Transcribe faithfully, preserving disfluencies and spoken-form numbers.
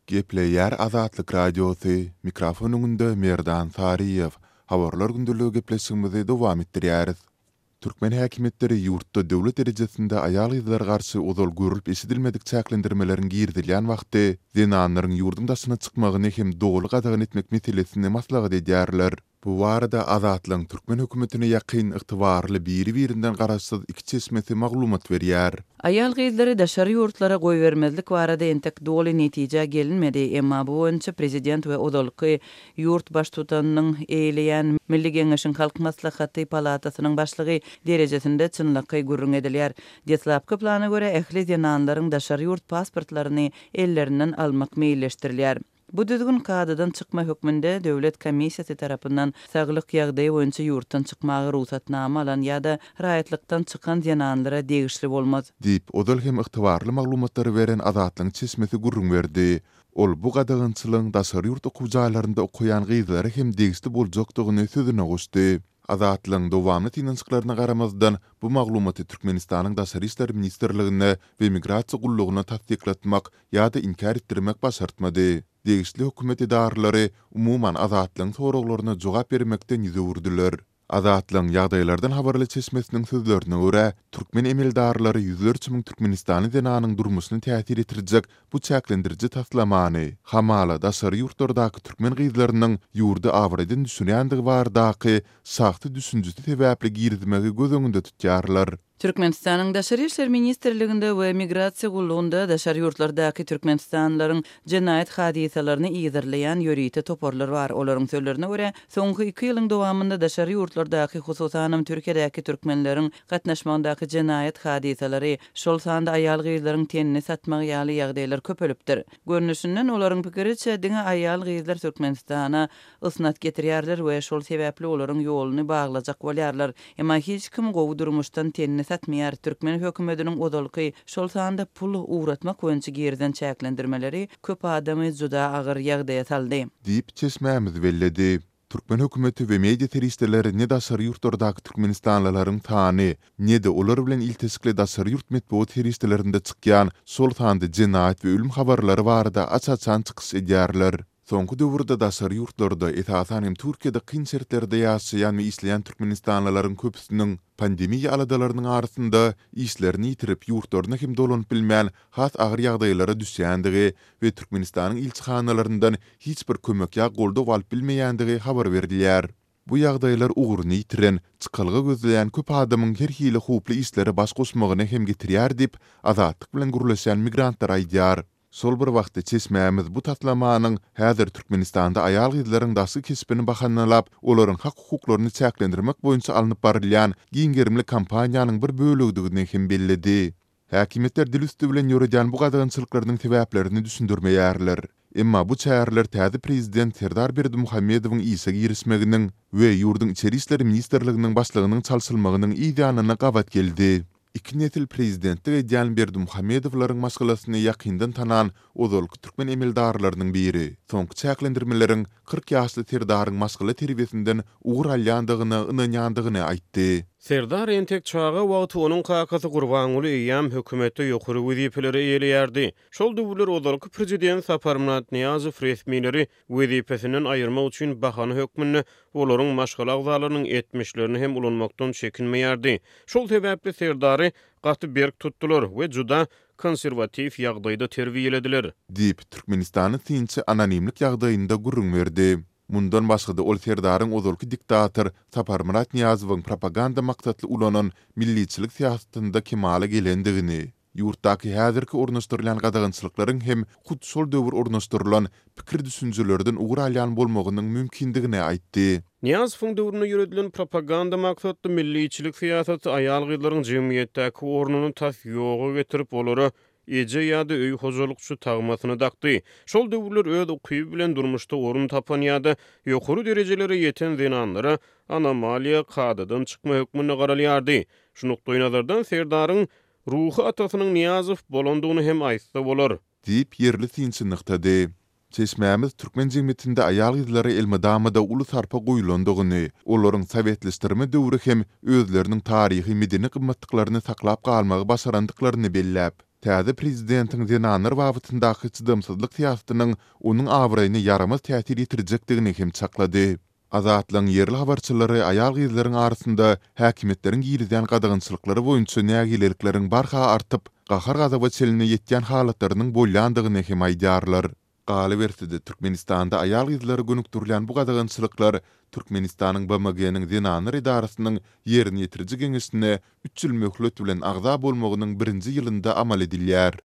Gepleýär Azatlyk Radiosy, mikrofon öňünde Merdan Saryýew. Habarlar gündeligi gepleşigimizi dowam etdirýäris. Türkmen häkimiýetleri ýurtda döwlet derejesinde aýal-gyzlara garşy ozal görlüp-eşidilmedik çäklendirmeleriň girizilýän wagty zenanlaryň ýurduň daşyna çykmagyny hem doly gadagan etmek meselesini maslahat edýärler. Bu barada Azatlygyň türkmen hökümetine ýakyn, ygtybarly biri-birinden garaşsyz iki çeşmesi maglumat berýär. Aýal-gyzlary daşary ýurtlara goýbermezlik barada entek doly netijä gelinmedi, emma bu boýunça prezident we ozalky ýurt baştutanynyň eýeleýän Milli Geňeşiň Halk Maslahaty palatasynyň başlygy derejesinde çynlakaý gürrüň edilýär. Deslapky plana görä, ähli zenanlaryň daşary ýurt pasportlaryny ellerinden almak meýilleşdirilýär. Bu düzgün kadadan çykma hökmünde döwlet komissiýasy tarapyndan saglyk ýagdaýy boýunça ýurtdan çykmaga rugsatnama alan ýa-da raýatlykdan çykan zenanlara degişli bolmaz. Diýip, ozal hem ygtybarly maglumatlary beren Azatlygyň çeşmesi gürrüň berdi. Ol bu gadagançylygyň daşary ýurt okuw jaýlarynda okaýan gyzlara hem degişli boljakdygyny sözüne goşdy. Azatlygyň dowamly synanyşyklaryna garamazdan, bu maglumaty Türkmenistanyň Daşary işler ministrligine we Migrasiýa gullugyna tassyklatmak ýa-da inkär etdirmek başartmady. Degişli hökümet edaralary, umuman, Azatlygyň soraglaryna jogap bermekden ýüz öwürdiler. Azatlygyň ýagdaýlardan habarly çeşmesiniň sözlerine görä, türkmen emeldarlary ýüzlerçe müň türkmenistanly zenanyň durmuşyna täsir ýetirjek bu çäklendiriji taslamany, hamala, daşary ýurtlardaky türkmen gyzlarynyň ýurdy abraýdan düşürýändigi baradaky şahsy düşünjesi sebäpli girizmegi göz öňünde tutýarlar. Türkmenistanyň Daşary işler ministrliginde we Migrasiýa gullugynda daşary ýurtlardaky türkmenistanlylaryň jenaýat hadysalaryny yzarlaýan ýörite toparlar bar. Olaryň sözlerine görä, soňky iki ýylyň dowamynda daşary ýurtlardaky, hususanam Türkiýedäki türkmenleriň gatnaşmagyndaky jenaýat hadysalary, şol sanda aýal-gyzlaryň tenini satmagy ýaly ýagdaýlar köpelipdir. Görnüşinden, olaryň pikiriçe, diňe aýal-gyzlar Türkmenistana ysnat getirýärler we şol sebäpli olaryň ýoluny baglajak bolýarlar. Emma hiç kim gowy durmuşdan tenini satmaýar. Türkmen hökümetiniň ozalky, şol sanda pul ugratmak boýunça girizen çäklendirmeleri köp adamy juda agyr ýagdaýa saldy. Diýip, çeşmämiz belledi. Türkmen hökümeti we media serişdeleri ne daşary ýurtlardaky türkmenistanlylaryň sany, ne-de olar bilen ilteşikli daşary ýurt metbugat serişdelerinde çykýan, şol sanda jenaýat we ölüm habarlary barada aç-açan çykyş edýärler. Soňky döwürde daşary ýurtlarda, esasan hem Türkiýede kyn şertlerde ýaşaýan we işleýän türkmenistanlylaryň köpüsiniň pandemiýa aladalarynyň arasynda işlerini ýitirip, ýurtlaryna hem dolanyp bilmän, has agyr ýagdaýlara düşýändigi we Türkmenistanyň ilçihanalaryndan hiç bir kömek ýa goldaw alyp bilmeýändigi habar berilýär. Bu ýagdaýlar ugruny ýitiren, çykalga gözleýän köp adamyň her hili howply işlere baş goşmagyna hem getirýär diýip, Azatlyk bilen gürleşen migrantlar aýdýar. Şol bir wagtda, çeşmämiz bu taslamanyň häzir Türkmenistanda aýal-gyzlaryň daşky keşbini bahanalap, olaryň hak-hukuklaryny çäklendirmek boýunça alnyp barylýan giň gerimli kampaniýanyň bir bölegidigini hem belledi. Häkimiýetler dil üsti bilen ýöredýän bu gadagançylyklarynyň sebäplerini düşündirmeýärler. Emma bu çäreler täze prezident Serdar Berdimuhamedowyň işe girişmeginiň we ýurduň Içeri işler ministrliginiň başlygynyň çalşylmagynyň yz ýanyna gabat geldi. Iki nesil prezidentlik edýän Berdimuhamedowlaryň maşgalasyny ýakyndan tanan ozalky türkmen emeldarlarynyň biri soňky çäklendirmeleriň kyrk ýaşly Serdaryň maşgala terbiýesinden ugur alýandygyna ynanýandygyny aýtdy. Serdar entek çaga wagty onuň kakasy Gurbanguly eýýäm hökümetde ýokary wezipeleri eýeleýärdi. Şol döwürler ozalky prezident Saparmyrat Nyýazow resmileri wezipesinden aýyrmak üçin bahana hökmünde olaryň maşgala agzalarynyň etmişlerini hem ulanmakdan çekinmeýärdi. Şol sebäpli Serdary gaty berk tutdular we juda konserwatiw ýagdaýda terbiýelediler. Diýip, türkmenistanly synçy anonimlik ýagdaýynda gürrüň berdi. Mundan başga-da ol Serdaryň ozalky diktator Saparmyrat Nyýazowyň propaganda maksatly ulanan milliçilik syýasatynda kemala gelendigini, ýurtdaky häzirki ornaşdyrylýan gadagançylyklaryň hem hut şol döwür ornaşdyrylan pikir-düşünjelerden ugur alýan bolmagynyň mümkindigini aýtdy. Nyýazowyň döwründe ýöredilen propaganda maksatly milliçilik syýasaty aýal-gyzlaryň jemgyýetdäki ornuny tas ýoga getirip, olara eje ýa-da öý hojalykçy tagmasyny dakdy. Şol döwürler öz ukyby bilen durmuşda orun tapan ýa-da ýokary derejelere ýeten zenanlara anomaliýa, kadadan çykma hökmünde garalýardy. Şu nukdaýnazardan Serdaryň ruhy atasynyň Nyýazow bolandygyny hem aýtsa bolar. Diýip, ýerli synçy nygtady. Çeşmämiz türkmen jemgyýetinde aýal-gyzlara elmydama-da uly sarpa goýlandygyny, olaryň sowetleşdirme döwri hem özleriniň taryhy-medeni gymmatlyklaryny saklap galmagy başarandyklaryny belläp, täze prezidentiň zenanlar babatyndaky çydamsyzlyk syýasatynyň onuň abraýyna ýaramaz täsir ýetirjekdigini hem çaklady. Azatlygyň ýerli habarçylary aýal-gyzlaryň arasynda häkimiýetleriň girizýän gadagançylyklary boýunça nägilelikleriň barha artyp, gahar-gazaba çenli ýetýän halatlarynyň bolýandygyny hem aýdýarlar. Galyberse-de, Türkmenistanda aýal-gyzlara gönükdirilen bu gadagançylyklar Türkmenistanyň BMG-niň Zenanlar edarasynyň Ýerine ýetiriji geňeşine üç ýyl möhlet bilen agza bolmagynyň birinji ýylynda amal edilýär.